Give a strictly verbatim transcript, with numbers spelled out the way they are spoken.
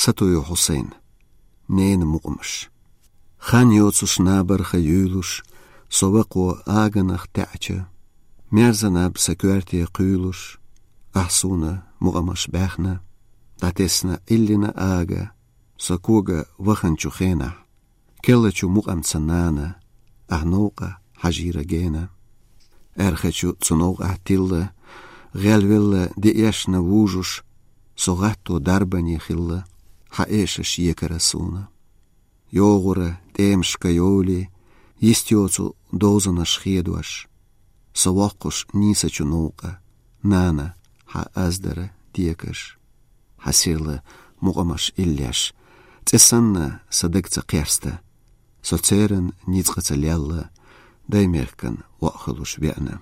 Сатуев Хьусайн. Ненан мукъамаш. Хан йоцуш набарха юьйлуш, со вакхо аганах таьӀача, мерза наб са коьрте кхуьйлуш, ахь суна мукъамаш баьхна, дӀатесна Ӏиллина ага, со кога ваханчу хенахь, керлачу мукъамца нана, ахь новкъа хьажийра гена. Аьрхачу цу новкъахь тилла, гӀелвелла деэшна вужуш, со гӀатто дарбане хилла, хьан эшаш екара суна. ЙогӀура тӀемашка йовлий, йист йоцу дозанаш хедош, со воккхуш нийсачу новкъа, нана, хьан аздара декаш. Хьан сирла мукъамаш иллеш, цӀе санна са даг ца кхерста, со церан ницкъаца лелла, даймехкан ваъ хуьлуш веана.